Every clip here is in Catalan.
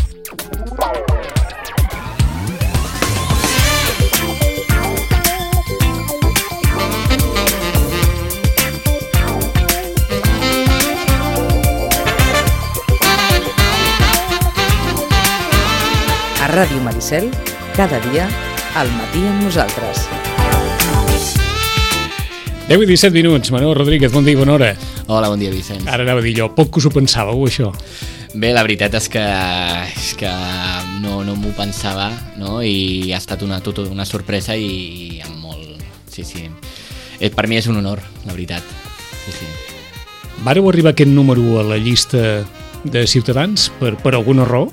A Ràdio Maricel, cada dia, al matí amb nosaltres. 10 i 17 minuts. Manuel Rodríguez, bon dia i bona hora. Hola, bon dia, Vicenç. Ara anava a dir jo, poc que us ho pensàveu, això. Bé, la veritat és que no m'ho pensava, no? I ha estat tota una sorpresa i amb molt... Sí. Per mi és un honor, la veritat. Sí. Vàreu arribar aquest número a la llista de Ciutadans per alguna raó?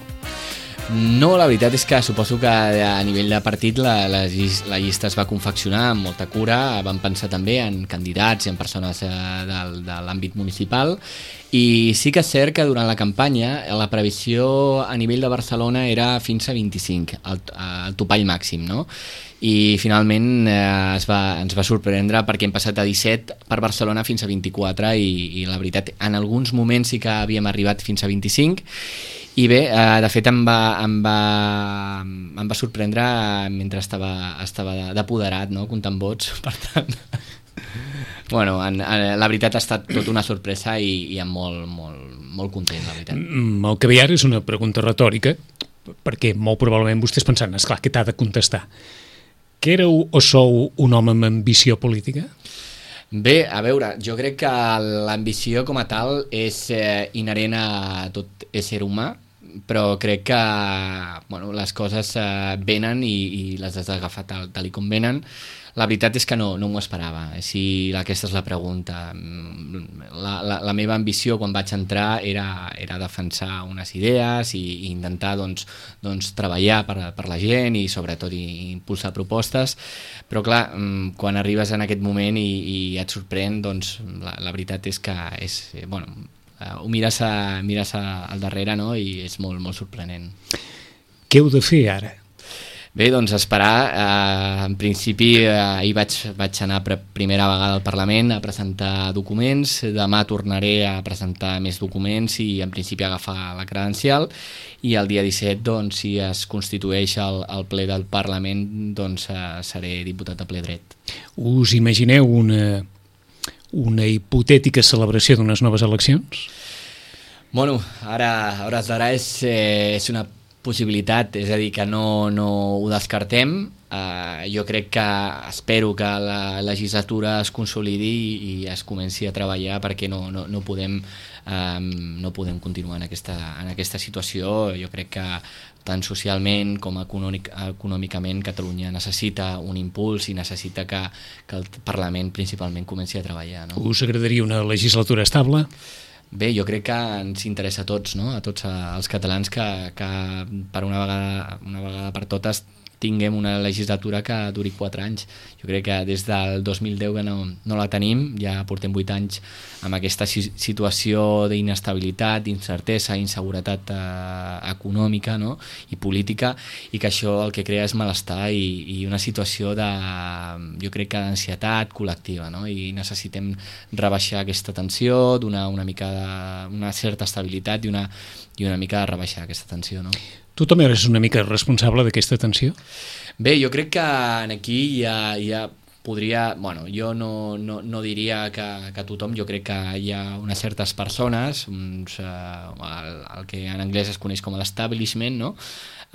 No, la veritat és que suposo que a nivell de partit la llista es va confeccionar amb molta cura, vam pensar també en candidats i en persones de l'àmbit municipal, i sí que és cert que durant la campanya la previsió a nivell de Barcelona era fins a 25, el topall màxim, no? I finalment ens va sorprendre perquè hem passat a 17 per Barcelona fins a 24 i la veritat, en alguns moments sí que havíem arribat fins a 25. I bé, de fet em va sorprendre mentre estava d'apoderat, no? Comptant vots, per tant... Bueno, la veritat ha estat tota una sorpresa i em molt content, la veritat. El que ve ara és una pregunta retòrica, perquè molt probablement vostès pensant, esclar, què t'ha de contestar? Que éreu o sou un home amb ambició política? Bé, a veure, jo crec que l'ambició com a tal és inherent a tot ésser humà, però crec que les coses venen i les has d'agafar tal com venen. La veritat és que no m'ho esperava, si aquesta és la pregunta. La meva ambició quan vaig entrar era defensar unes idees i intentar treballar per la gent i sobretot impulsar propostes, però clar, quan arribes en aquest moment i et sorprèn, doncs la veritat és que ho mires al darrere, no? I és molt, molt sorprenent. Què heu de fer ara? Bé, doncs esperar. En principi ahir vaig anar per primera vegada al Parlament a presentar documents, demà tornaré a presentar més documents i en principi agafar la credencial, i el dia 17, doncs, si es constitueix el ple del Parlament, doncs seré diputat a ple dret. Us imagineu una hipotètica celebració d'unes noves eleccions? Bueno, ara, a hores d'ara és una possibilitat, és a dir, que no ho descartem. Jo crec espero que la legislatura es consolidi i es comenci a treballar, perquè no podem continuar en aquesta situació. Jo crec que tant socialment com econòmicament Catalunya necessita un impuls i necessita que el Parlament principalment comenci a treballar, no? Us agradaria una legislatura estable? Bé, jo crec que ens interessa a tots, no? A tots els catalans, que per una vegada per totes tinguem una legislatura que duri 4 anys. Jo crec que des del 2010 que no la tenim, ja portem 8 anys amb aquesta situació d'inestabilitat, d'incertesa, inseguretat econòmica, no? I política, i que això el que crea és malestar i una situació jo crec que d'ansietat col·lectiva, no? I necessitem rebaixar aquesta tensió, donar una certa estabilitat i una mica rebaixar aquesta tensió, no? Tu també eres una mica responsable d'aquesta tensió? Bé, jo crec que aquí ja podria... Bueno, jo no diria que tothom, jo crec que hi ha unes certes persones, el que en anglès es coneix com l'establishment, no?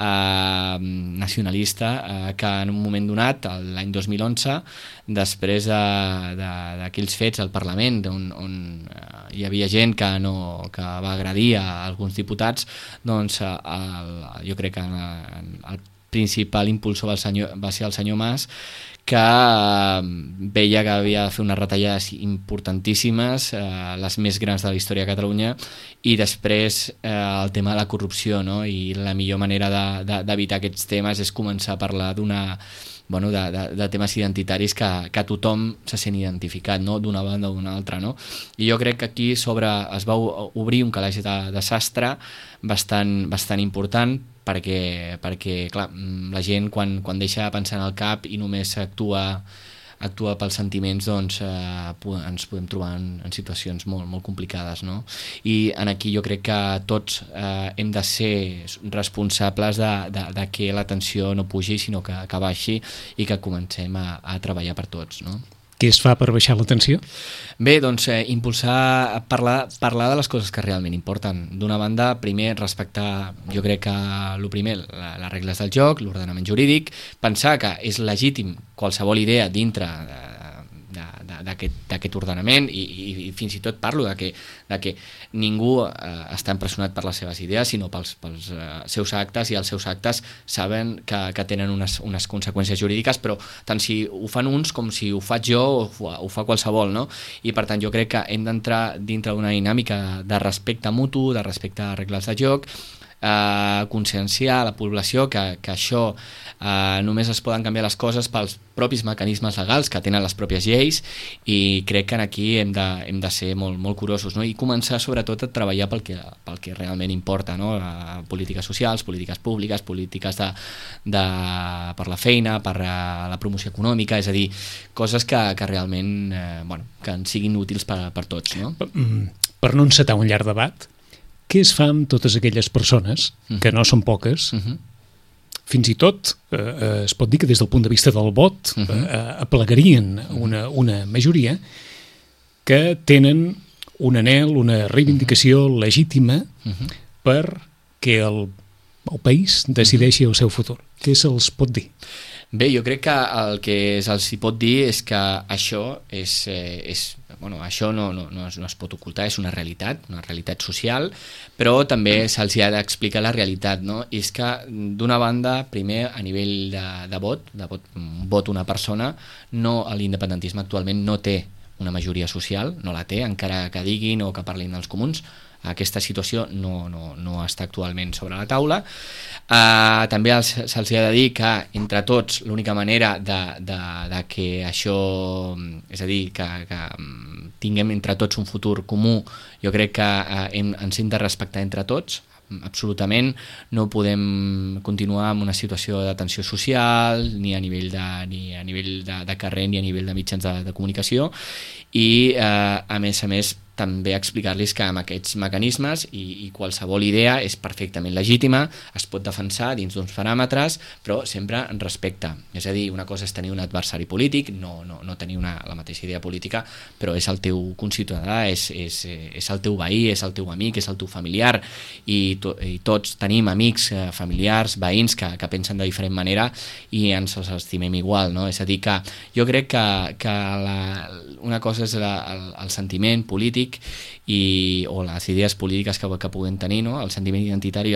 Nacionalista, que en un moment donat, l'any 2011, després d'aquells fets al Parlament on hi havia gent que va agredir a alguns diputats, doncs jo crec que el principal impulsor va ser el senyor Mas, que veia que havia de fer unes retallades importantíssimes, les més grans de la història de Catalunya, i després el tema de la corrupció, no? I la millor manera d'evitar aquests temes és començar a parlar de temes identitaris que tothom se sent identificat, no? D'una banda o d'una altra, no? I jo crec que aquí es va obrir un calaix de sastre bastant important, perquè clar, la gent quan deixa de pensar en el cap i només actua actua pels sentiments, doncs ens podem trobar en situacions molt, molt complicades, no? I aquí jo crec que tots hem de ser responsables de que la tensió no pugi, sinó que baixi i que comencem a treballar per tots, no? Què es fa per baixar la tensió? Bé, doncs impulsar, parlar de les coses que realment importen. D'una banda, primer respectar, jo crec que el primer, les regles del joc, l'ordenament jurídic, pensar que és legítim qualsevol idea dintre d'aquest ordenament i fins i tot parlo de que ningú està empresonat per les seves idees, sinó pels seus actes, i els seus actes saben que tenen unes conseqüències jurídiques, però tant si ho fan uns com si ho faig jo o ho fa qualsevol, no? I per tant jo crec que hem d'entrar dintre d'una dinàmica de respecte mutu, de respecte a regles de joc, conscienciar a la població que això només es poden canviar les coses pels propis mecanismes legals que tenen les pròpies lleis, i crec que aquí hem de ser molt, molt curosos, no? I començar sobretot a treballar pel que realment importa, no? Polítiques socials, polítiques públiques, polítiques per la feina, per la promoció econòmica, és a dir, coses que realment que ens siguin útils per tots, no? Per no encetar un llarg debat, què es fa amb totes aquelles persones, que no són poques, fins i tot es pot dir que des del punt de vista del vot aplegarien una majoria que tenen un anhel, una reivindicació legítima perquè el país decideixi el seu futur? Què se'ls pot dir? Bé, jo crec que el que se'ls pot dir és que això això no es pot ocultar, és una realitat social, però també se'ls ha d'explicar la realitat, no? I és que, d'una banda, primer, a nivell de vot una persona, l'independentisme actualment no té una majoria social, no la té, encara que diguin o que parlin dels comuns. Aquesta situació no està actualment sobre la taula. També se'ls ha de dir que entre tots l'única manera de que això, és a dir, que tinguem entre tots un futur comú, jo crec que ens hem de respectar entre tots, absolutament. No podem continuar amb una situació de tensió social ni a nivell de carrer ni a nivell de mitjans de comunicació, i a més també explicar-los que amb aquests mecanismes i qualsevol idea és perfectament legítima, es pot defensar dins d'uns paràmetres, però sempre en respecte. És a dir, una cosa és tenir un adversari polític, no tenir la mateixa idea política, però és el teu conciutadà, és el teu veí, és el teu amic, és el teu familiar, i tots tenim amics, familiars, veïns que pensen de diferent manera i ens els estimem igual, no? És a dir, que jo crec que una cosa és el sentiment polític o les idees polítiques que puguem tenir, no? El sentiment identitari i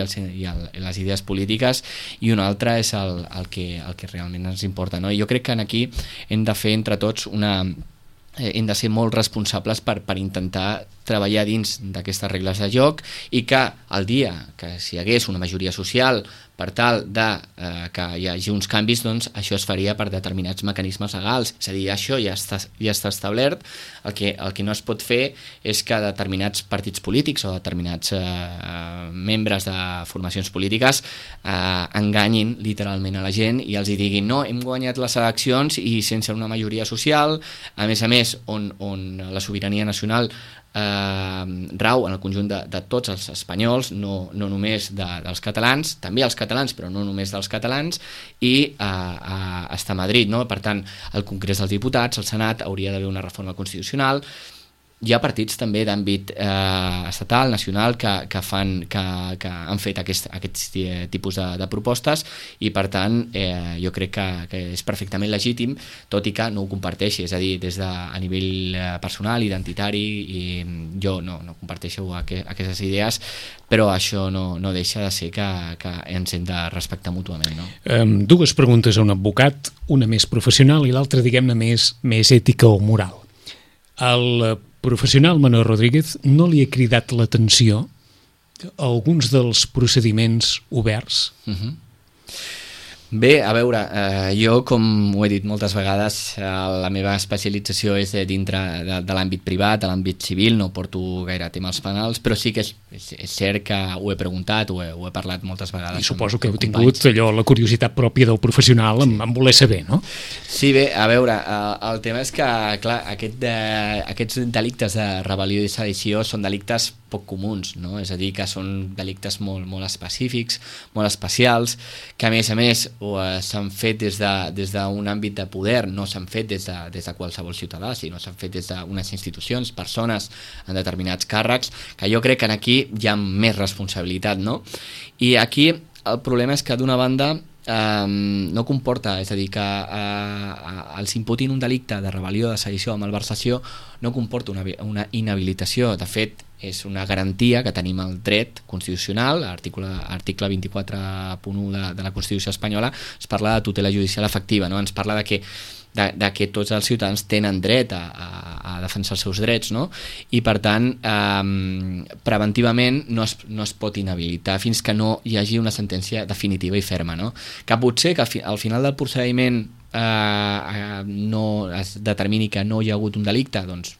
les idees polítiques, i una altra és el que realment ens importa, no? I jo crec que aquí hem de fer entre tots hem de ser molt responsables per intentar treballar dins d'aquestes regles de joc, i que el dia que si hi hagués una majoria social per tal que hi hagi uns canvis, doncs això es faria per determinats mecanismes legals. És a dir, això ja està establert. El que no es pot fer és que determinats partits polítics o determinats membres de formacions polítiques enganyin literalment a la gent i els diguin no, hem guanyat les eleccions i sense una majoria social, a més on la sobirania nacional rau en el conjunt de tots els espanyols, no només dels catalans, també els catalans, però no només dels catalans, i està a Madrid, no? Per tant, al Congrés dels Diputats, al Senat, hauria d'haver una reforma constitucional. Hi ha partits també d'àmbit estatal, nacional, que han fet aquests tipus de propostes, i per tant jo crec que és perfectament legítim, tot i que no ho comparteixi. És a dir, a nivell personal, identitari, i jo no comparteixo aquestes idees, però això no deixa de ser que ens hem de respectar mútuament, no? Dues preguntes a un advocat, una més professional i l'altra, diguem-ne, més ètica o moral. El professional Manuel Rodríguez no li ha cridat l'atenció a alguns dels procediments oberts? Bé, a veure, jo, com ho he dit moltes vegades, la meva especialització és dintre de l'àmbit privat, de l'àmbit civil, no porto gaire temes penals, però sí que és cert que ho he preguntat, ho he parlat moltes vegades. I suposo que heu tingut allò, la curiositat pròpia del professional en voler saber, no? Sí, bé, a veure, el tema és que, clar, aquests delictes de rebel·lió i sedició són delictes poc comuns, no? És a dir, que són delictes molt específics, molt especials, que a més s'han fet des d'un àmbit de poder, no s'han fet des de qualsevol ciutadà, sinó s'han fet des d'unes institucions, persones en determinats càrrecs, que jo crec que aquí hi ha més responsabilitat, no? I aquí el problema és que d'una banda no comporta, és a dir, que els imputin un delicte de rebel·lió, de sedició o malversació no comporta una inhabilitació. De fet, és una garantia que tenim el dret constitucional, l'article 24.1 de la Constitució espanyola es parla de tutela judicial efectiva, no? Ens parla de que tots els ciutadans tenen dret a defensar els seus drets, no? I per tant preventivament no es pot inhabilitar fins que no hi hagi una sentència definitiva i ferma, no? Que potser que al final del procediment no es determini que no hi ha hagut un delicte, doncs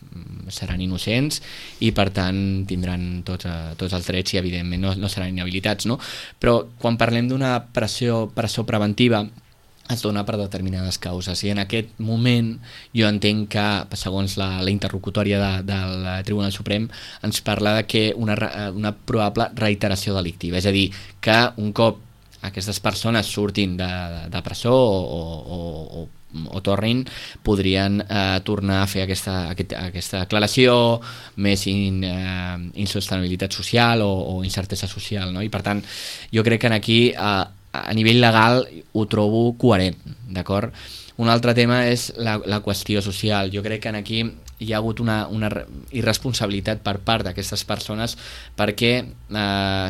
seran innocents i per tant tindran tots els drets i evidentment no seran inhabilitats, no? Però quan parlem d'una presó preventiva es dona per determinades causes i en aquest moment jo entenc que segons la interlocutòria del Tribunal Suprem ens parla de que una probable reiteració delictiva, és a dir, que un cop aquestes persones surtin de presó o tornin, podrien tornar a fer aquesta declaració, més insostenibilitat social o incertesa social, no? I per tant jo crec que aquí a nivell legal ho trobo coherent, d'acord? Un altre tema és la qüestió social. Jo crec que aquí hi ha hagut una irresponsabilitat per part d'aquestes persones perquè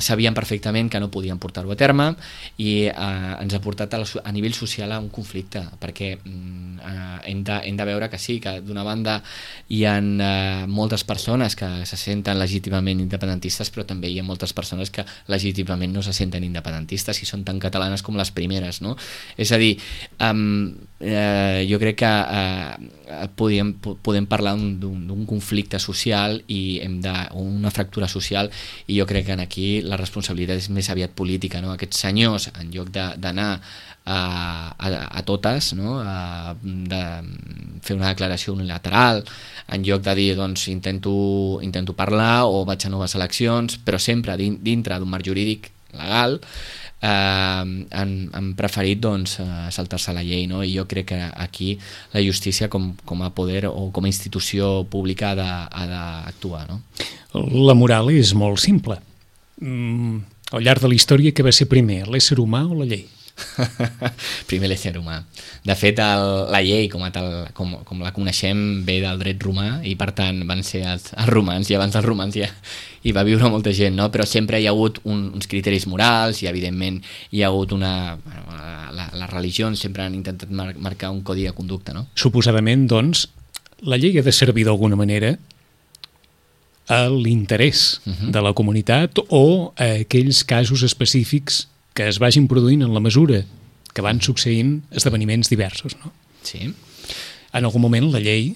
sabien perfectament que no podien portar-ho a terme i ens ha portat a nivell social a un conflicte, perquè hem de veure que sí, que d'una banda hi ha moltes persones que se senten legítimament independentistes, però també hi ha moltes persones que legítimament no se senten independentistes i són tan catalanes com les primeres, no? És a dir, jo crec que podem parlar d'un conflicte social i una fractura social, i jo crec que aquí la responsabilitat és més aviat política, no? Aquests senyors, en lloc d'anar a totes, no? De fer una declaració unilateral, en lloc de dir doncs intento parlar o vaig a noves eleccions, però sempre dintre d'un marc jurídic legal, han preferit doncs saltar-se la llei, no? I jo crec que aquí la justícia com a poder o com a institució pública ha d'actuar, no? La moral és molt simple. Al llarg de la història, què va ser primer, l'ésser humà o la llei? Primer l'ésser humà. De fet, la llei com la coneixem ve del dret romà i per tant van ser els romans, i abans dels romans ja hi va viure molta gent, no? Però sempre hi ha hagut uns criteris morals i evidentment hi ha hagut les religions sempre han intentat marcar un codi de conducta, no? Suposadament, doncs, la llei ha de servir d'alguna manera a l'interès de la comunitat o a aquells casos específics que es vagin produint en la mesura que van succeint esdeveniments diversos, no? Sí. En algun moment la llei,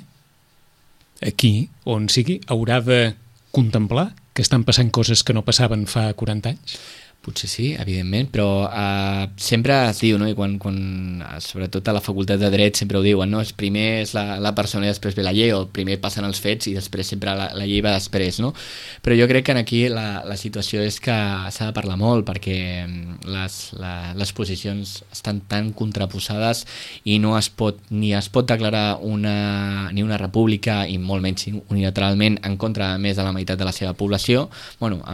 aquí, on sigui, haurà de contemplar que estan passant coses que no passaven fa 40 anys? Potser sí, evidentment, però sempre es diu, no? I quan sobretot a la facultat de Dret sempre ho diuen, no? Primer és la persona i després ve la llei, o primer passen els fets i després sempre la llei va després, no? Però jo crec que aquí la situació és que s'ha de parlar molt perquè les posicions estan tan contraposades i no es pot declarar ni una república i molt menys unilateralment en contra més de la meitat de la seva població, bueno,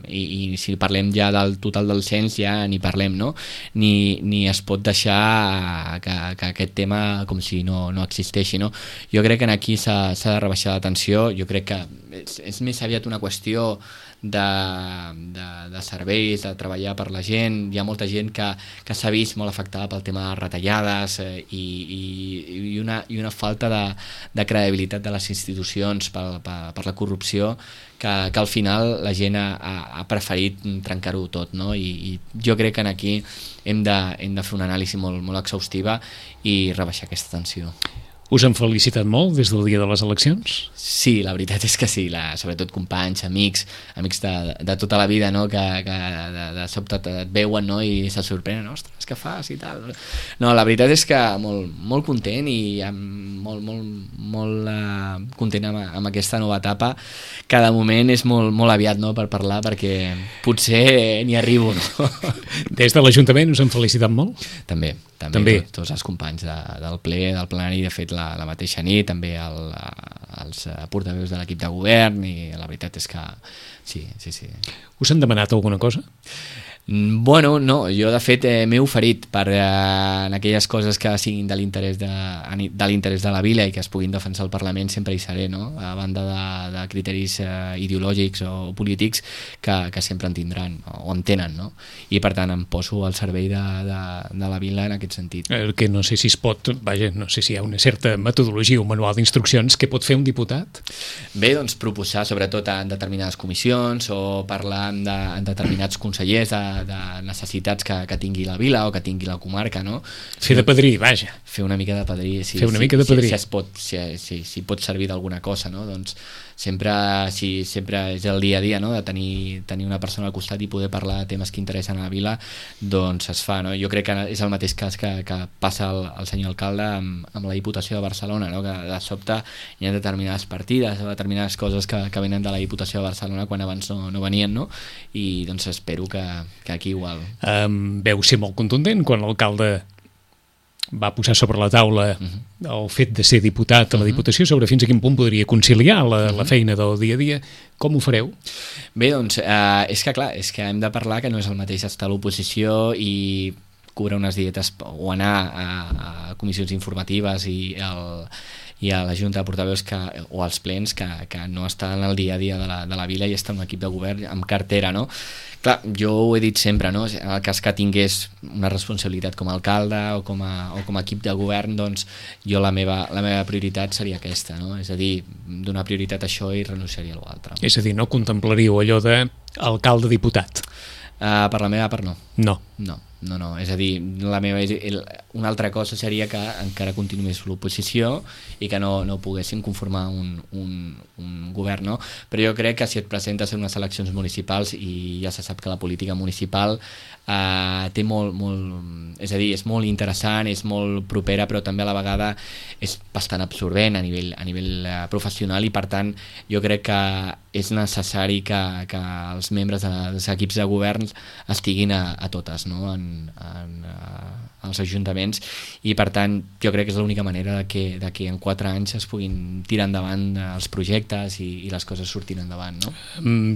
i si parlem ja del total del cens ja ni parlem, no? Ni es pot deixar que aquest tema com si no existeixi, no? Jo crec que aquí s'ha de rebaixar la tensió, jo crec que és més aviat una qüestió de serveis, de treballar per la gent. Hi ha molta gent que s'ha vist molt afectada pel tema de retallades i una falta de credibilitat de les institucions per la corrupció que al final la gent ha preferit trencar-ho tot, no? I jo crec que aquí hem de fer una anàlisi molt exhaustiva i rebaixar aquesta tensió. Us han felicitat molt des del dia de les eleccions? Sí, la veritat és que sí, sobretot companys, amics de tota la vida, no? que de sobte et veuen, no? I se sorprenen, ostres, què fas i tal. No, la veritat és que molt content i molt content amb aquesta nova etapa. Cada moment és molt aviat, no? Per parlar, perquè potser n'hi arribo, no? Des de l'Ajuntament us han felicitat molt? També. Tots els companys del ple, del plenari, de fet la mateixa nit, també els portaveus de l'equip de govern, i la veritat és que sí. Us han demanat alguna cosa? Bueno, no, jo de fet m'he oferit en aquelles coses que siguin de l'interès de la vila i que es puguin defensar al Parlament, sempre hi seré, no? A banda de criteris ideològics o polítics que sempre en tindran o en tenen, no? I per tant em poso al servei de la vila en aquest sentit. Que no sé si es pot, no sé si hi ha una certa metodologia o manual d'instruccions que pot fer un diputat? Bé, doncs proposar sobretot en determinades comissions o parlar en determinats consellers de necessitats que tingui la vila o que tingui la comarca, no? Fer de padrí, vaja. Fer una mica de padrí, sí. Fer una mica de padrí. Si pot servir d'alguna cosa, no? Doncs sempre és el dia a dia, no? De tenir una persona al costat i poder parlar de temes que interessen a la vila, doncs es fa, no? Jo crec que és el mateix cas que passa el senyor alcalde amb la Diputació de Barcelona, no? Que de sobte hi ha determinades partides o determinades coses que venen de la Diputació de Barcelona quan abans no venien, no? I doncs espero que aquí igual. Veu ser molt contundent quan l'alcalde va posar sobre la taula el fet de ser diputat a la Diputació, sobre fins a quin punt podria conciliar la feina del dia a dia. Com ho fareu? Bé, doncs, és que hem de parlar que no és el mateix estar a l'oposició i cobrar unes dietes o anar a comissions informatives i a la Junta de Portaveus o als plens que no està en el dia a dia de la vila i està en un equip de govern amb cartera, no? Clar, jo ho he dit sempre, no? En el cas que tingués una responsabilitat com a alcalde o com a equip de govern, doncs jo la meva prioritat seria aquesta, no? És a dir, donar prioritat a això i renunciaria a l'altre. És a dir, no contemplaríeu allò d'alcalde-diputat? Per la meva part no. No, és a dir, una altra cosa seria que encara continués l'oposició i que no poguessin conformar un govern, no? Però jo crec que si et presentes en unes eleccions municipals, i ja se sap que la política municipal té és a dir, és molt interessant, és molt propera, però també a la vegada és bastant absorbent a nivell professional, i per tant jo crec que és necessari que els membres dels equips de govern estiguin a totes, no? als ajuntaments, i per tant jo crec que és l'única manera de que en 4 anys es puguin tirar endavant els projectes i les coses sortin endavant, no?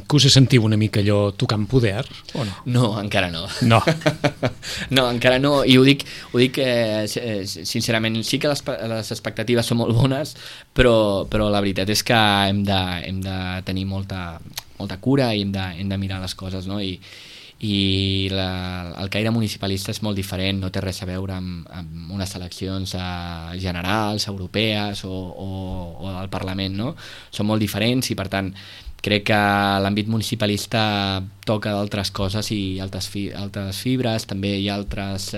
Que us sentiu una mica allò tocant poder o no? No, encara no. No, encara no, i ho dic sincerament, sí que les expectatives són molt bones, però la veritat és que hem de tenir molta cura i hem de mirar les coses, no? I el caire municipalista és molt diferent, no té res a veure amb unes eleccions generals, europees o al Parlament, no? Són molt diferents, i per tant crec que l'àmbit municipalista toca d'altres coses i altres fibres. També hi ha altres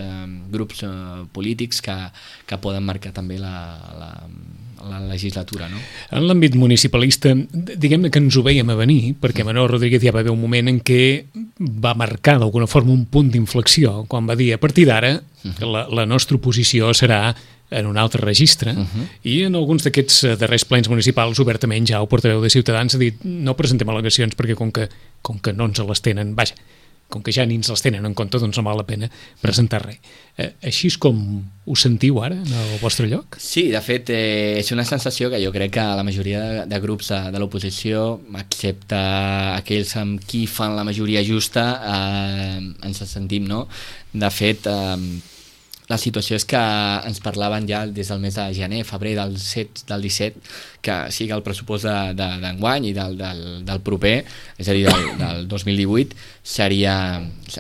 grups polítics que poden marcar també la legislatura, no? En l'àmbit municipalista, diguem-ne que ens ho veiem a venir, perquè Manuel Rodríguez ja va haver un moment en què va marcar d'alguna forma un punt d'inflexió, quan va dir a partir d'ara la nostra oposició serà en un altre registre, i en alguns d'aquests darrers plens municipals obertament ja el portaveu de Ciutadans ha dit no presentem al·legacions perquè com que no ens les tenen, vaja, com que ja ni ens les tenen en compte, doncs no val la pena presentar res. Així és com ho sentiu ara en el vostre lloc? Sí, de fet, és una sensació que jo crec que la majoria de grups de l'oposició, excepte aquells amb qui fan la majoria justa, ens sentim, no? De fet, La situació és que ens parlaven ja des del mes de gener, febrer del 17, que sigui el pressupost d'enguany i del proper, és a dir, del 2018,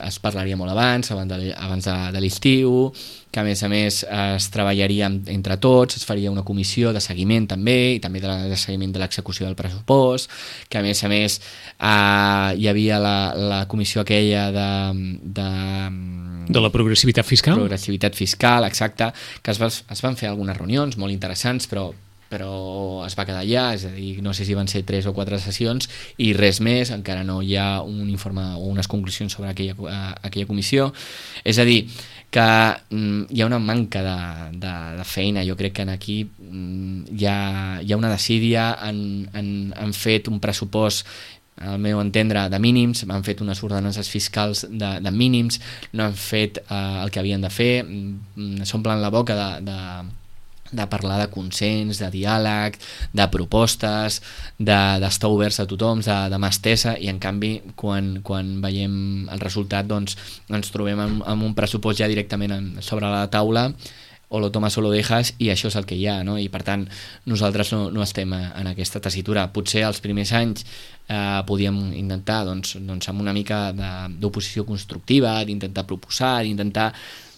es parlaria molt abans de l'estiu, que a més es treballaria entre tots, es faria una comissió de seguiment també, i també de seguiment de l'execució del pressupost, que a més hi havia la comissió aquella de la progressivitat fiscal? Progressivitat fiscal, exacte, que es van fer algunes reunions molt interessants, però es va quedar allà, és a dir, no sé si van ser 3 o 4 sessions i res més, encara no hi ha un informe o unes conclusions sobre aquella comissió. És a dir, que hi ha una manca de feina. Jo crec que aquí hi ha una desídia, han fet un pressupost, al meu entendre, de mínims, han fet unes ordenances fiscals de mínims, no han fet el que havien de fer, s'omplen la boca de parlar de consens, de diàleg, de propostes, d'estar oberts a tothom, de mà estesa, i en canvi quan veiem el resultat doncs ens trobem amb un pressupost ja directament sobre la taula, o lo tomas o lo dejas, i això és el que hi ha, no? I per tant nosaltres no estem en aquesta tessitura. Potser els primers anys podíem intentar doncs amb una mica d'oposició constructiva, d'intentar proposar, d'intentar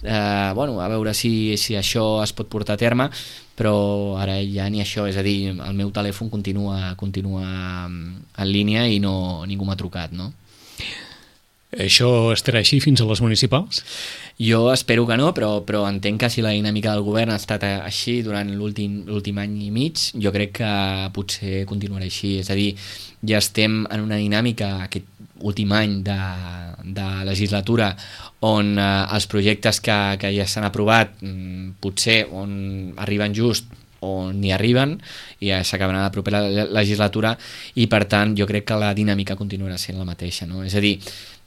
a veure si això es pot portar a terme, però ara ja ni això, és a dir, el meu telèfon continua en línia i ningú m'ha trucat, no? Això estarà així fins a les municipals? Jo espero que no, però entenc que si la dinàmica del govern ha estat així durant l'últim any i mig, jo crec que potser continuarà així. És a dir, ja estem en una dinàmica aquest últim any de legislatura on els projectes que ja s'han aprovat potser on arriben just o ni arriben i ja s'acabarà la propera legislatura, i per tant jo crec que la dinàmica continuarà sent la mateixa, no? És a dir,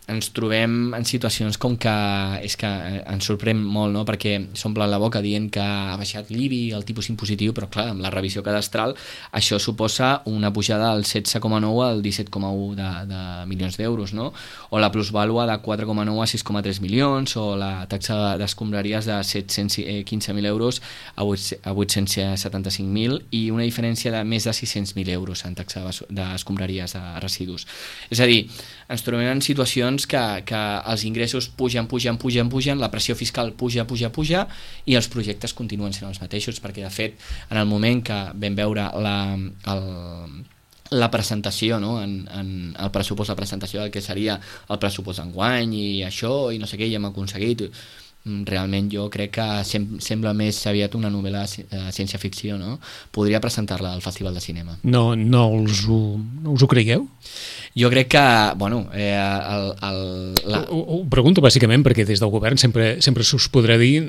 ens trobem en situacions com que és que ens sorprèn molt, no? Perquè s'omplen la boca dient que ha baixat l'IBI, el tipus impositiu, però clar, amb la revisió cadastral això suposa una pujada del 16,9 al 17,1 de milions d'euros, no? O la plusvàlua de 4,9 a 6,3 milions, o la taxa d'escombraries de 715.000 euros a 875.000, i una diferència de més de 600.000 euros en taxa d'escombraries de residus. És a dir, ens trobem en situacions que els ingressos pugen, la pressió fiscal puja, i els projectes continuen sent els mateixos, perquè de fet en el moment que vam veure la presentació, no? en el pressupost, la presentació del que seria el pressupost d'enguany i això, i no sé què, i hem aconseguit, realment jo crec que sembla més aviat una novel·la ciència-ficció, no? Podria presentar-la al Festival de Cinema. No us ho cregueu? Jo crec que, Ho pregunto bàsicament perquè des del govern sempre s'us podrà dir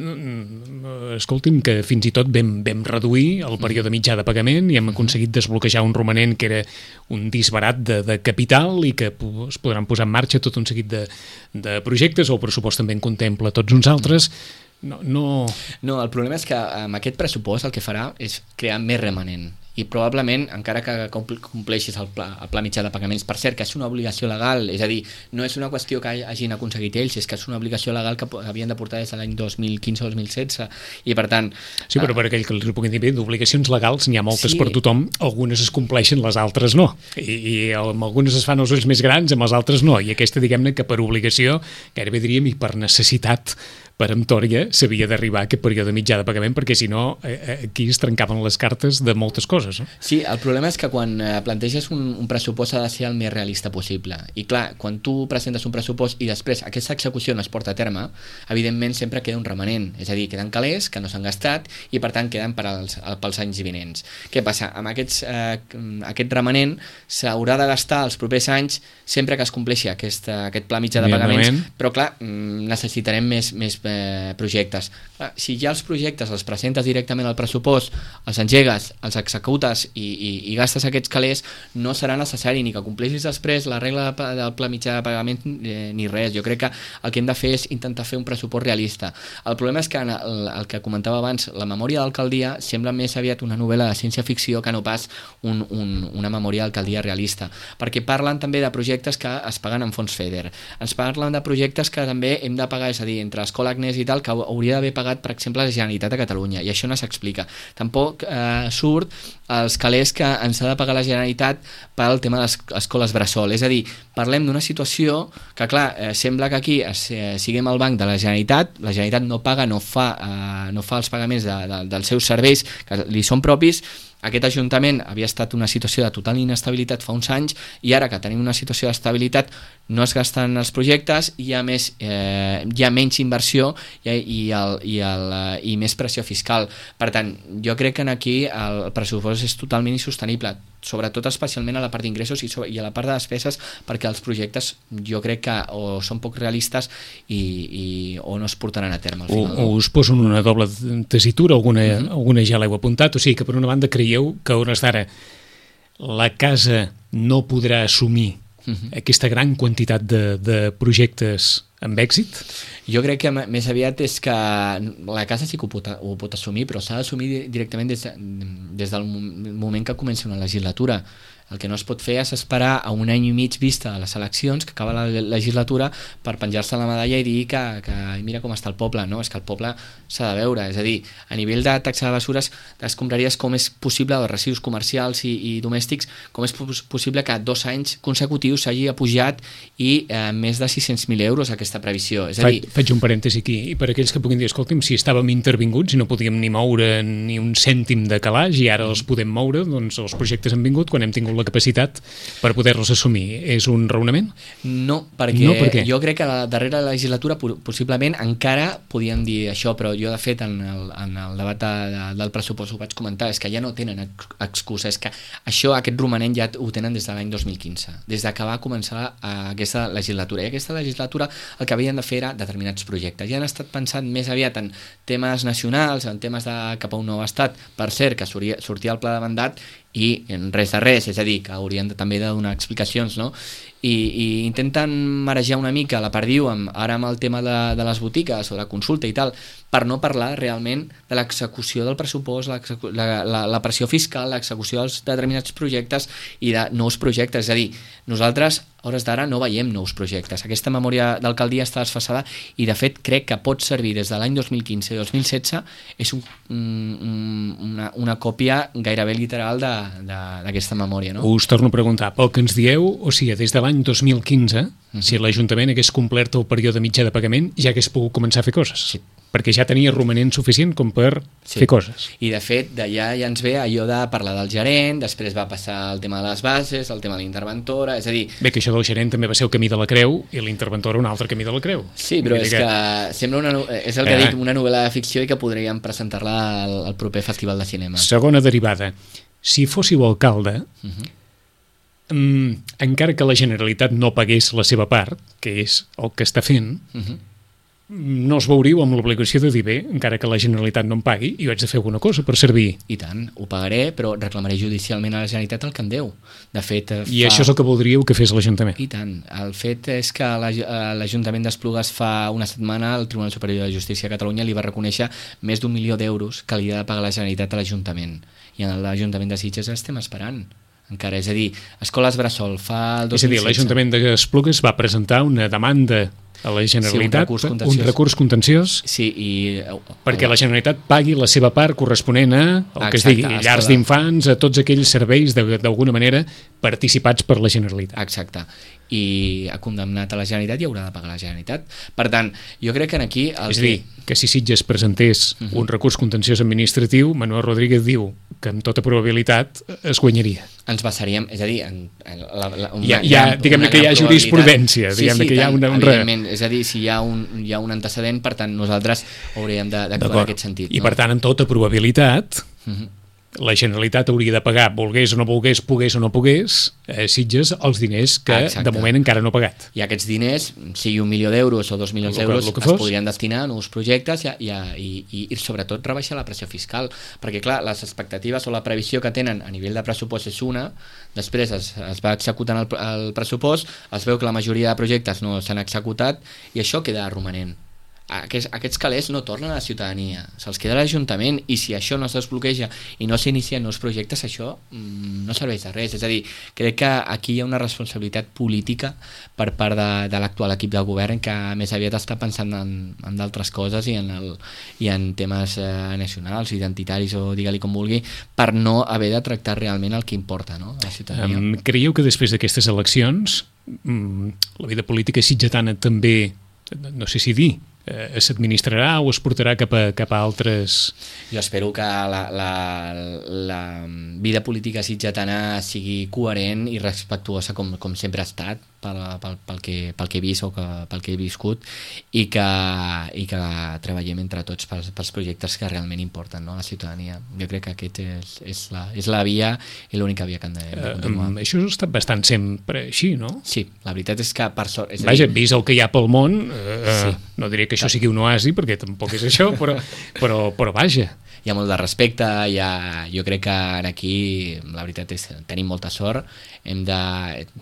escolti'm, que fins i tot vam reduir el període mitjà de pagament i hem aconseguit desbloquejar un romanent que era un disbarat de capital i que es podran posar en marxa tot un seguit de projectes, o el pressupost també en contempla tots uns altres. No, el problema és que amb aquest pressupost el que farà és crear més remanent, i probablement, encara que compleixis el pla mitjà de pagaments, per cert, que és una obligació legal, és a dir, no és una qüestió que hagin aconseguit ells, és que és una obligació legal que havien de portar des de l'any 2015 o 2016, i per tant... Sí, però per aquell que els puguin dir, d'obligacions legals n'hi ha moltes per tothom, algunes es compleixen, les altres no, i amb algunes es fan els ulls més grans, amb les altres no, i aquesta, diguem-ne, que per obligació, gairebé diríem, i per necessitat peremptòria, s'havia d'arribar a aquest període mitjà de pagament, perquè si no aquí es trencaven les cartes de moltes coses, no? Sí, el problema és que quan planteges un pressupost ha de ser el més realista possible, i clar, quan tu presentes un pressupost i després aquesta execució no es porta a terme, evidentment sempre queda un remanent, és a dir, queden calés que no s'han gastat i per tant queden pels anys vinents. Què passa? Amb aquest remanent s'haurà de gastar els propers anys sempre que es compleixi aquest pla mitjà de pagaments, però clar, necessitarem més projectes. Si ja els projectes els presentes directament al pressupost, els engegues, els executes i gastes aquests calés, no serà necessari ni que compleixis després la regla del pla mitjà de pagament ni res. Jo crec que el que hem de fer és intentar fer un pressupost realista. El problema és que el que comentava abans, la memòria d'alcaldia sembla més aviat una novel·la de ciència-ficció que no pas una memòria d'alcaldia realista, perquè parlen també de projectes que es paguen en fons FEDER, ens parlen de projectes que també hem de pagar, és a dir, entre Escola Agnès i tal, que hauria d'haver pagat, per exemple, la Generalitat de Catalunya, i això no s'explica. Tampoc surt els calés que ens ha de pagar la Generalitat pel tema de les escoles bressol. És a dir, parlem d'una situació que, clar, sembla que aquí siguem al banc de la Generalitat no paga, no fa els pagaments dels seus serveis que li són propis. Aquest Ajuntament havia estat una situació de total inestabilitat fa uns anys i ara que tenim una situació d'estabilitat no es gasten els projectes, hi ha menys inversió i més pressió fiscal. Per tant, jo crec que aquí el pressupost és totalment insostenible, sobretot especialment a la part d'ingressos i a la part de despeses, perquè els projectes jo crec que o són poc realistes o no es portaran a terme al final. O us poso en una doble tessitura, alguna ja l'heu apuntat, o sigui que per una banda creieu que a hores d'ara la casa no podrà assumir aquesta gran quantitat de projectes amb èxit? Jo crec que més aviat és que la casa sí que ho pot assumir, però s'ha d'assumir directament des del moment que comença una legislatura. El que no es pot fer és esperar a un any i mig vista a les eleccions, que acaba la legislatura, per penjar-se la medalla i dir que mira com està el poble. No, és que el poble s'ha de veure. És a dir, a nivell de taxa de bessures, escombraries com és possible, de residus comercials i domèstics, com és possible que 2 anys consecutius s'hagi apujat i més de 600.000 euros aquesta previsió. És a dir, faig un parèntesi aquí, i per aquells que puguin dir, escolta'm, si estàvem intervinguts i no podíem ni moure ni un cèntim de calaix i ara els podem moure, doncs els projectes han vingut quan hem tingut la capacitat per poder-los assumir. És un raonament? No, perquè jo crec que a la darrera legislatura possiblement encara podien dir això, però jo de fet en el debat del pressupost ho vaig comentar, és que ja no tenen excusa, és que aquest romanent ja ho tenen des de l'any 2015, des que va començar aquesta legislatura, i aquesta legislatura el que havien de fer era determinats projectes, ja han estat pensant més aviat en temes nacionals, en temes de cap a un nou estat, per cert, que sortia el pla de mandat i res de res, és a dir, que haurien també de donar explicacions, no? I intenten marejar una mica la perdiu ara amb el tema de les botigues o de la consulta i tal, per no parlar realment de l'execució del pressupost, la pressió fiscal, l'execució dels determinats projectes i de nous projectes. És a dir, nosaltres a hores d'ara no veiem nous projectes. Aquesta memòria d'alcaldia està desfasada i de fet crec que pot servir des de l'any 2015 i 2016, és una còpia gairebé literal d'aquesta memòria, no? Us torno a preguntar, pel que ens dieu, o sigui, des de l'any 2015, si l'Ajuntament hagués complert el període mitjà de pagament, ja hagués pogut començar a fer coses. Sí. Perquè ja tenia romanent suficient com per fer coses. I de fet, d'allà ja ens ve allò de parlar del gerent, després va passar el tema de les bases, el tema de l'interventora, és a dir... Bé, que això del gerent també va ser el camí de la creu i l'interventora un altre camí de la creu. Sí, però és que sembla és el que dic, una novel·la de ficció i que podríem presentar-la al proper Festival de Cinema. Segona derivada. Si fóssiu alcalde, encara que la Generalitat no pagués la seva part, que és el que està fent, no us veuríeu amb l'obligació de dir, bé, encara que la Generalitat no em pagui, jo haig de fer alguna cosa per servir. I tant, ho pagaré, però reclamaré judicialment a la Generalitat el que em deu. De fet, I això és el que voldríeu que fes l'Ajuntament? I tant. El fet és que l'Ajuntament d'Esplugues fa una setmana el Tribunal Superior de Justícia de Catalunya li va reconèixer més d'1 milió d'euros que li ha de pagar la Generalitat a l'Ajuntament. I en l'Ajuntament de Sitges estem esperant encara, és a dir, escoles bressol fa el 2016. És a dir, l'Ajuntament d'Esplugues va presentar una demanda a la Generalitat, un recurs contenciós, perquè la Generalitat pagui la seva part corresponent a el que es digui, llars d'infants, a tots aquells serveis d'alguna manera participats per la Generalitat. Exacte. I ha condemnat a la Generalitat i haurà de pagar la Generalitat. Per tant, jo crec que aquí... És a dir, que si Sitges presentés un recurs contenciós administratiu, Manuel Rodríguez diu que amb tota probabilitat es guanyaria. Ens basaríem, és a dir... Diguem-ne que hi ha jurisprudència, diguem-ne que hi ha evidentment, és a dir, si hi ha un antecedent, per tant, nosaltres hauríem d'actuar en aquest sentit. I per tant, amb tota probabilitat... la Generalitat hauria de pagar, volgués o no volgués, pogués o no pogués, Sitges, els diners que de moment encara no ha pagat. I aquests diners, sigui 1 milió d'euros o 2 milions d'euros, es podrien destinar a nous projectes i sobretot rebaixar la pressió fiscal, perquè clar, les expectatives o la previsió que tenen a nivell de pressupost és una, després es va executant el pressupost, es veu que la majoria de projectes no s'han executat i això queda romanent. aquests calés no tornen a la ciutadania, se'ls queda l'Ajuntament, i si això no es desbloqueja i no s'inicien nous projectes, això no serveix de res. És a dir, crec que aquí hi ha una responsabilitat política per part de l'actual equip de govern, que més aviat està pensant en d'altres coses i en temes nacionals, identitaris o digue-li com vulgui, per no haver de tractar realment el que importa, no?, a la ciutadania. Creieu que després d'aquestes eleccions la vida política sitgetana també, no sé si dir, s'administrarà o es portarà cap a altres... Jo espero que la vida política sitgetana sigui coherent i respectuosa com sempre ha estat pel que he vist o pel que he viscut, i que treballem entre tots pels projectes que realment importen, no?, a la ciutadania. Jo crec que aquest és la via i l'única via que hem de continuar. Això ha estat bastant sempre així, no? Sí, la veritat és que per sort... Vaja, vist el que hi ha pel món, no diré que això sigui un oasi, perquè tampoc és això, però vaja. Hi ha molt de respecte, jo crec que aquí la veritat és que tenim molta sort,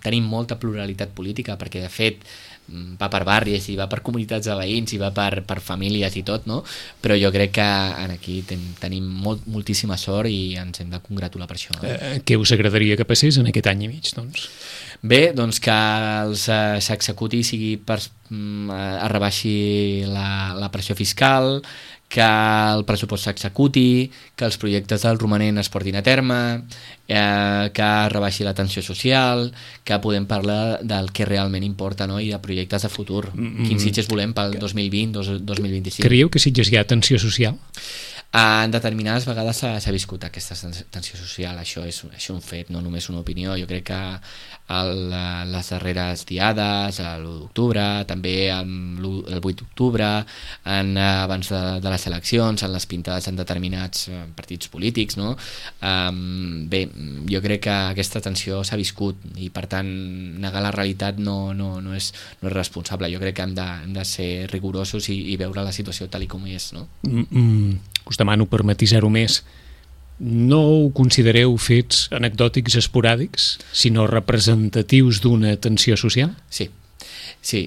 tenim molta pluralitat política, perquè de fet va per barris i va per comunitats de veïns i va per famílies i tot, no? Però jo crec que aquí tenim moltíssima sort i ens hem de congratular per això. Què us agradaria que passés en aquest any i mig, doncs? Bé, doncs que s'executi, sigui es rebaixi la pressió fiscal, que el pressupost s'executi, que els projectes del romanent es portin a terme, que rebaixi la tensió social, que podem parlar del que realment importa, no?, i de projectes de futur. Quins Sitges volem pel 2020-2025. Creieu que Sitges hi ha tensió social? En determinades vegades s'ha viscut aquesta tensió social, això és un fet, no només una opinió. Jo crec que les darreres diades, l'1 d'octubre, també el 8 d'octubre, abans de les eleccions, en les pintades en determinats partits polítics, no? Bé, jo crec que aquesta tensió s'ha viscut i, per tant, negar la realitat no és responsable. Jo crec que hem de ser rigorosos i veure la situació tal com és, no? Us demano per matisar-ho més, no ho considereu fets anecdòtics esporàdics, sinó representatius d'una tensió social? Sí,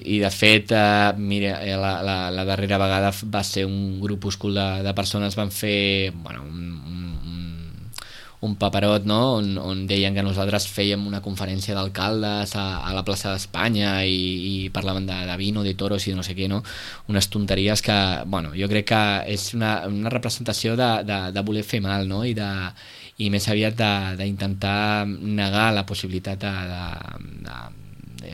i de fet, mira, la darrera vegada va ser un grupúscul de persones van fer un paperot, no?, on deien que nosaltres fèiem una conferència d'alcaldes a la plaça d'Espanya i parlaven de vino, de toros i no sé què, no? Unes tonteries que, jo crec que és una representació de voler fer mal, no?, i més aviat d'intentar negar la possibilitat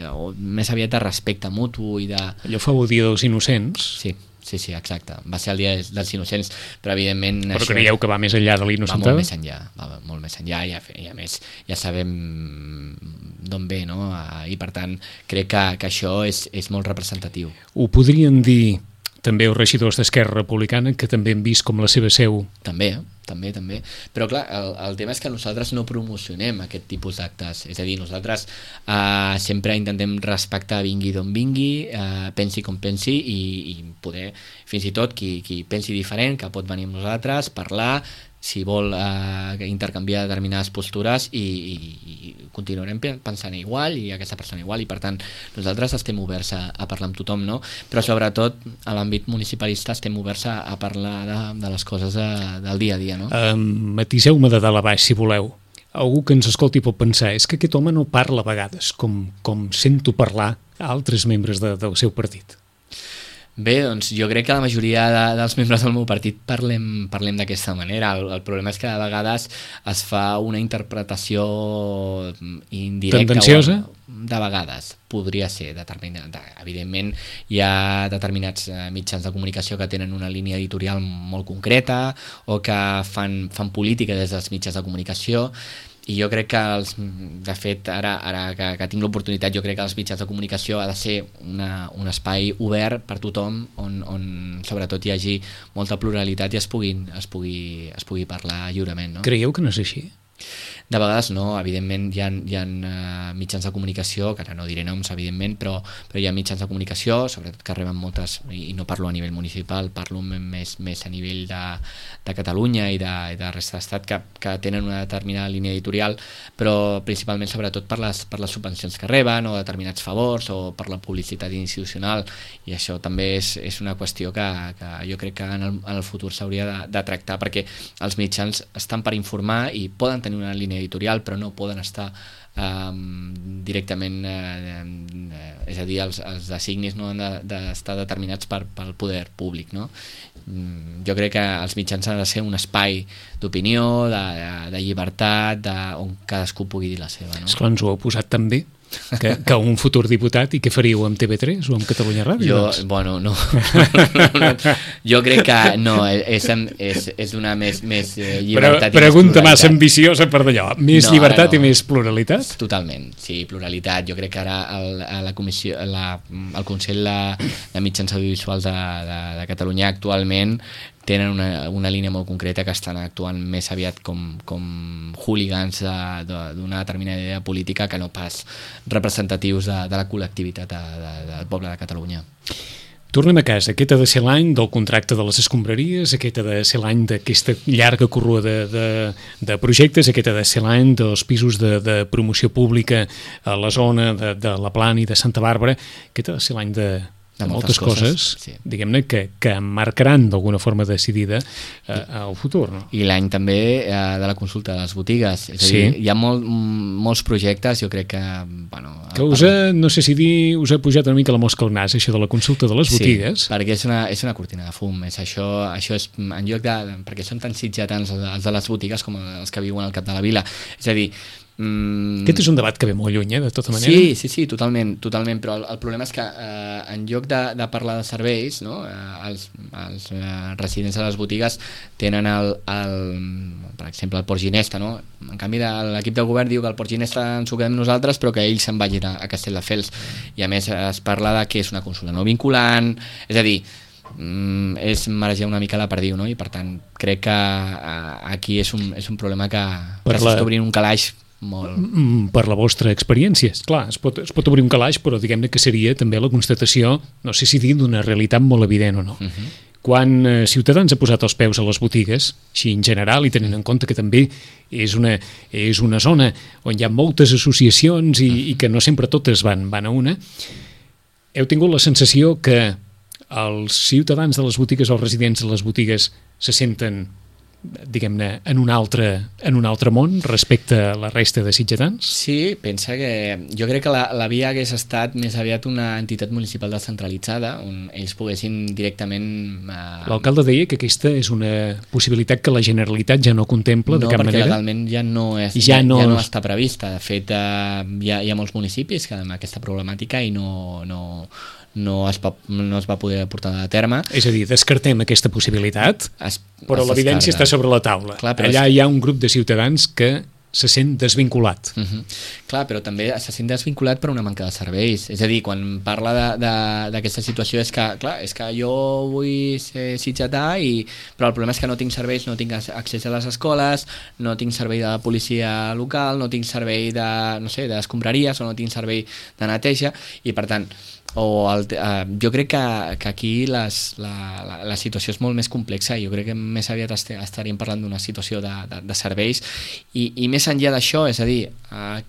o més aviat de respecte mutu i de... Allò fou el Dia dels Innocents. Sí, exacte. Va ser el Dia dels Innocents, però evidentment... Però creieu que va més enllà de l'innocentada? Va molt més enllà i a més ja sabem d'on ve, no? I per tant crec que això és molt representatiu. Ho podrien dir també els regidors d'Esquerra Republicana, que també han vist com la seva seu... També. Però clar, el tema és que nosaltres no promocionem aquest tipus d'actes. És a dir, nosaltres sempre intentem respectar vingui d'on vingui, pensi com pensi, i poder, fins i tot, qui pensi diferent, que pot venir amb nosaltres, parlar, si vol intercanviar determinades postures, i continuarem pensant igual i aquesta persona igual, i per tant nosaltres estem oberts a parlar amb tothom, no? Però sobretot a l'àmbit municipalista estem oberts a parlar de les coses del dia a dia, no? Matiseu-me de dalt a baix, si voleu. Algú que ens escolti pot pensar, és que aquest home no parla a vegades com sento parlar a altres membres del seu partit. Bé, doncs jo crec que la majoria dels membres del meu partit parlem d'aquesta manera. El problema és que a vegades es fa una interpretació indirecta. Tendenciosa? De vegades, podria ser determinada. Evidentment, hi ha determinats mitjans de comunicació que tenen una línia editorial molt concreta o que fan política des dels mitjans de comunicació. I jo crec que, de fet, ara que tinc l'oportunitat, jo crec que els mitjans de comunicació ha de ser un espai obert per tothom, on sobretot hi hagi molta pluralitat i es pugui parlar lliurement, no? Creieu que no és així? De vegades no, evidentment hi ha mitjans de comunicació, que ara no diré noms, evidentment, però hi ha mitjans de comunicació, sobretot que reben moltes, i no parlo a nivell municipal, parlo més a nivell de Catalunya i de resta d'estat, que tenen una determinada línia editorial, però principalment sobretot per les subvencions que reben, o determinats favors, o per la publicitat institucional, i això també és una qüestió que jo crec que en el futur s'hauria de tractar, perquè els mitjans estan per informar i poden tenir una línia editorial, però no poden estar directament, és a dir, els designis no han d'estar determinats pel poder públic, no? Jo crec que els mitjans han de ser un espai d'opinió, de llibertat, on cadascú pugui dir la seva, no? Esclar, ens ho heu posat també que un futur diputat, i què faríeu amb TV3 o amb Catalunya Ràdio? No. Jo crec que no, és una més llibertat. Pregunta massa ambiciosa per d'allò. Més llibertat i més pluralitat? Totalment, sí, pluralitat. Jo crec que ara la comissió, el Consell de Mitjans Audiovisuals de Catalunya actualment tenen una línia molt concreta, que estan actuant més aviat com hooligans d'una determinada idea política, que no pas representatius de la col·lectivitat del poble de Catalunya. Tornem a casa. Aquest ha de ser l'any del contracte de les escombraries, aquest ha de ser l'any d'aquesta llarga corrua de projectes, aquest ha de ser l'any dels pisos de promoció pública a la zona de la Plana i de Santa Bàrbara, aquest ha de ser l'any de moltes coses, sí. Diguem-ne, que marcaran d'alguna forma decidida el futur, no? I l'any també de la consulta de les botigues. És a dir, hi ha molts projectes, jo crec que... no sé si dir, us ha pujat una mica la mosca al nas, això de la consulta de les botigues. Sí, perquè és una cortina de fum. Això és, en lloc perquè són tan sitgetans els de les botigues com els que viuen al cap de la vila. És a dir, aquest és un debat que ve molt lluny, de tota manera. Sí, totalment, però el problema és que en lloc de parlar de serveis, no, els residents de les botigues tenen per exemple, el Port Ginesta, no? En canvi, l'equip de govern diu que el Port Ginesta ens ho quedem nosaltres, però que ells se'n vagin a Castelldefels, i a més es parla de que és una consulta no vinculant, és a dir, és marejar una mica la perdiu, no? I per tant crec que aquí és un problema que s'està obrint un calaix molt... Per la vostra experiència. Clar, es pot obrir un calaix, però diguem-ne que seria també la constatació, no sé si dir, d'una realitat molt evident o no. Quan Ciutadans ha posat els peus a les botigues, així en general, i tenint en compte que també és una zona on hi ha moltes associacions i que no sempre totes van a una, heu tingut la sensació que els ciutadans de les botigues o els residents de les botigues se senten, diguem-ne, en un altre món respecte a la resta de sitgetans? Sí, pensa que jo crec que la via hagués estat més aviat una entitat municipal descentralitzada, on ells poguessin directament... L'alcalde deia que aquesta és una possibilitat que la Generalitat ja no contempla de cap manera. No, perquè legalment ja no està prevista. De fet, hi ha molts municipis que amb aquesta problemàtica i no es va poder portar a terme. És a dir, descartem aquesta possibilitat, però l'evidència està sobre la taula. Clar, allà hi ha un grup de ciutadans que se sent desvinculat. Clar, però també se sent desvinculat per una manca de serveis. És a dir, quan parla d'aquesta situació és que jo vull ser sitgetà, però el problema és que no tinc serveis, no tinc accés a les escoles, no tinc servei de policia local, no tinc servei d'escombraries, o no tinc servei de neteja, i per tant jo crec que aquí la situació és molt més complexa, i jo crec que més aviat estaríem parlant d'una situació de serveis i més enllà d'això, és a dir,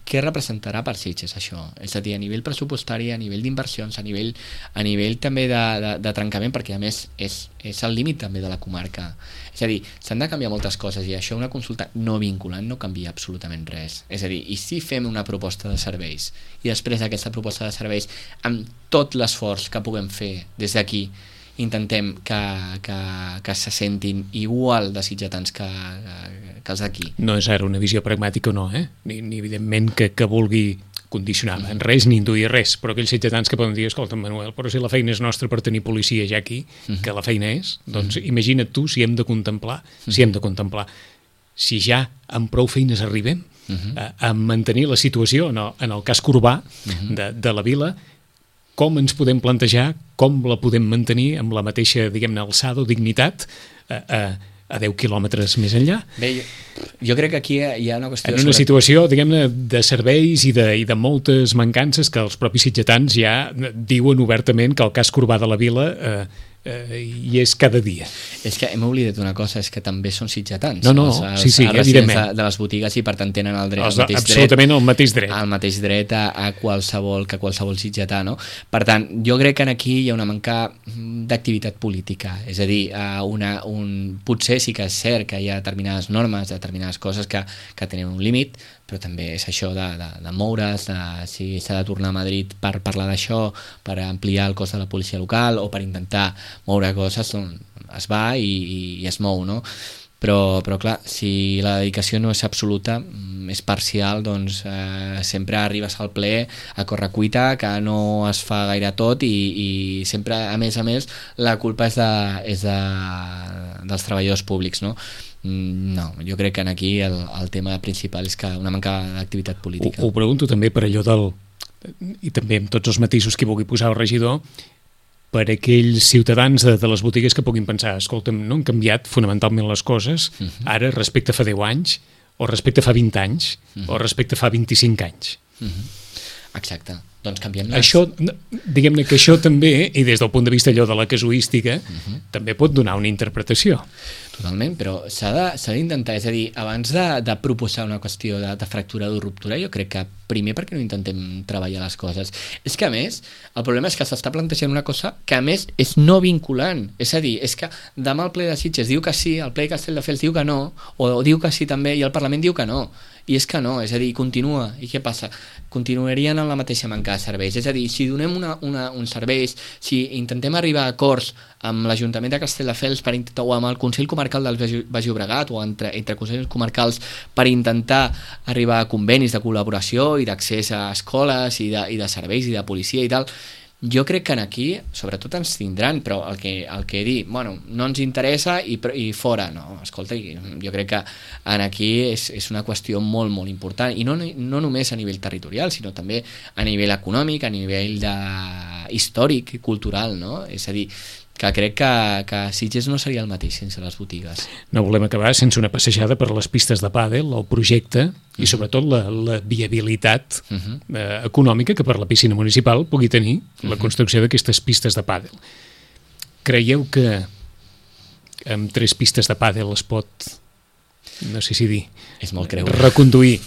què representarà per Sitges això? És a dir, a nivell pressupostari, a nivell d'inversions, a nivell també de trencament, perquè a més és el límit també de la comarca. És a dir, s'han de canviar moltes coses, i això una consulta no vinculant no canvia absolutament res. És a dir, i si fem una proposta de serveis i després d'aquesta proposta de serveis, amb tot l'esforç que puguem fer des d'aquí, intentem que se sentin igual de sitgetans que els d'aquí. No és ara una visió pragmàtica o no, ni evidentment que vulgui condicionar en res ni induir res, però aquells sitgetans que poden dir, escolta, Manuel, però si la feina és nostra per tenir policia ja aquí, que la feina és, doncs imagina't tu si hem de contemplar, si ja amb prou feines arribem a mantenir la situació, en el casc urbà de la vila, com ens podem plantejar, com la podem mantenir amb la mateixa, diguem-ne, alçada o dignitat a 10 quilòmetres més enllà. Bé, jo crec que aquí hi ha una qüestió... En una situació, diguem-ne, de serveis i de moltes mancances que els propis sitgetans ja diuen obertament que el cas Corbà de la Vila hi és cada dia. És que hem oblidat una cosa, és que també són sitgetans. No, sí, evidentment. De les botigues i per tant tenen el dret, absolutament el mateix dret. El mateix dret a qualsevol sitgetà, no? Per tant, jo crec que aquí hi ha una manca d'activitat política, és a dir, potser sí que és cert que hi ha determinades normes, determinades coses que tenen un límit, però també és això de moure's, si s'ha de tornar a Madrid per parlar d'això, per ampliar el cos de la policia local o per intentar moure coses, doncs es va i es mou, no? Però clar, si la dedicació no és absoluta, és parcial, doncs sempre arribes al ple a correcuita, que no es fa gaire tot i sempre, a més, la culpa és dels treballadors públics, no? No, jo crec que aquí el tema principal és que una manca d'activitat política. Ho pregunto també per allò i també amb tots els matisos que vulgui posar el regidor, per aquells ciutadans de les botigues que puguin pensar, escolta'm, no han canviat fonamentalment les coses ara respecte a fa 10 anys, o respecte a fa 20 anys, o respecte a fa 25 anys. Exacte. Doncs canviem-les. Això, diguem-ne que això també, i des del punt de vista allò de la casuística, també pot donar una interpretació. Totalment, però s'ha d'intentar, és a dir, abans de proposar una qüestió de fractura o ruptura, jo crec que primer perquè no intentem treballar les coses. És que a més, el problema és que s'està plantejant una cosa que a més és no vinculant, és a dir, és que demà el ple de Sitges diu que sí, el ple de Castelldefels diu que no, o diu que sí també i el Parlament diu que no, i és que no, és a dir, continua, i què passa? Continuarien en la mateixa manca de serveis, és a dir, si donem uns serveis, si intentem arribar a acords amb l'Ajuntament de Castelldefels o amb el Consell Comarcal del Baix Llobregat o entre consells comarcals per intentar arribar a convenis de col·laboració i d'accés a escoles i de serveis i de policia i tal, jo crec que aquí sobretot ens tindran, però el que dir, bueno, no ens interessa i fora, no, escolta, jo crec que aquí és una qüestió molt, molt important i no només a nivell territorial, sinó també a nivell econòmic, a nivell històric i cultural, no? És a dir, que crec que Sitges no seria el mateix sense les botigues. No volem acabar sense una passejada per les pistes de pàdel, el projecte i sobretot la viabilitat econòmica que per la piscina municipal pugui tenir la construcció d'aquestes pistes de pàdel. Creieu que amb 3 pistes de pàdel es pot, no sé si dir, és molt creure, reconduir?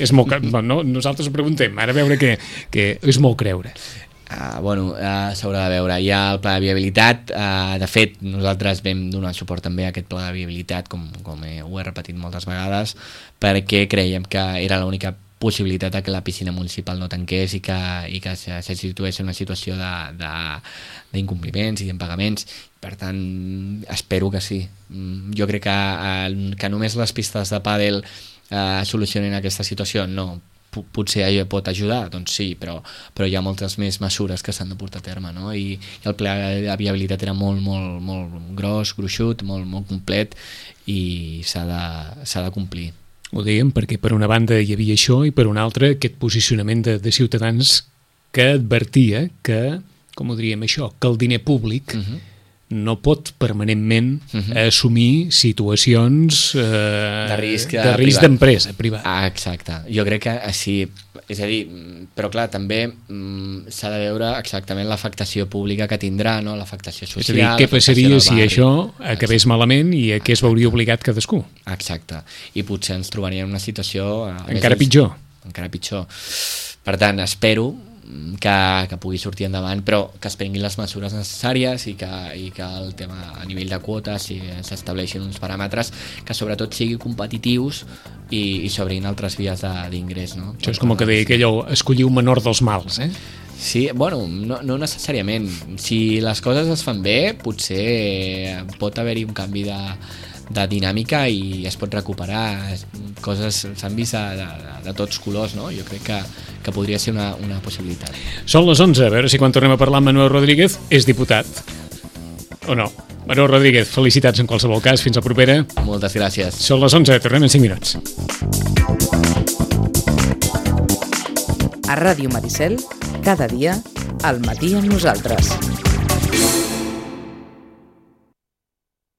No, nosaltres ho preguntem, ara a veure que és molt creure. S'haurà de veure. Hi ha el pla de viabilitat, de fet nosaltres vam donar suport també a aquest pla de viabilitat, com ho he repetit moltes vegades, perquè creiem que era l'única possibilitat que la piscina municipal no tanqués i que se situés en una situació d'incompliments i d'impagaments. Per tant, espero que sí. Jo crec que només les pistes de pàdel solucionen aquesta situació, no. Potser pot ajudar, doncs sí, però hi ha moltes més mesures que s'han de portar a terme, no? I el pla de viabilitat era molt, molt, molt gruixut, molt, molt complet i s'ha de complir. Ho dèiem perquè per una banda hi havia això i per una altra aquest posicionament de ciutadans que advertia que, com ho diríem això, que el diner públic no pot permanentment assumir situacions de risc d'empresa privada. Exacte. Jo crec que sí. És a dir, però clar, també s'ha de veure exactament l'afectació pública que tindrà, no? L'afectació social. És a dir, què passaria si això acabés malament i a què es veuria obligat cadascú? Exacte. I potser ens trobaríem en una situació encara pitjor. Encara pitjor. Per tant, espero que pugui sortir endavant, però que es prenguin les mesures necessàries i que el tema a nivell de quotes s'estableixin uns paràmetres que sobretot siguin competitius i s'obrin altres vies d'ingrés, no? Això és com que deia aquell escollir un menor dels mals, eh? Sí, bueno, no necessàriament. Si les coses es fan bé, potser pot haver-hi un canvi de dinàmica i es pot recuperar. Coses s'han vist de tots colors, no? Jo crec que podria ser una possibilitat. Són les 11, a veure si quan tornem a parlar amb Manuel Rodríguez és diputat o no. Manuel Rodríguez, felicitats en qualsevol cas, fins la propera. Moltes gràcies. Són les 11, tornem en 5 minuts. A Ràdio Maricel, cada dia, al matí amb nosaltres.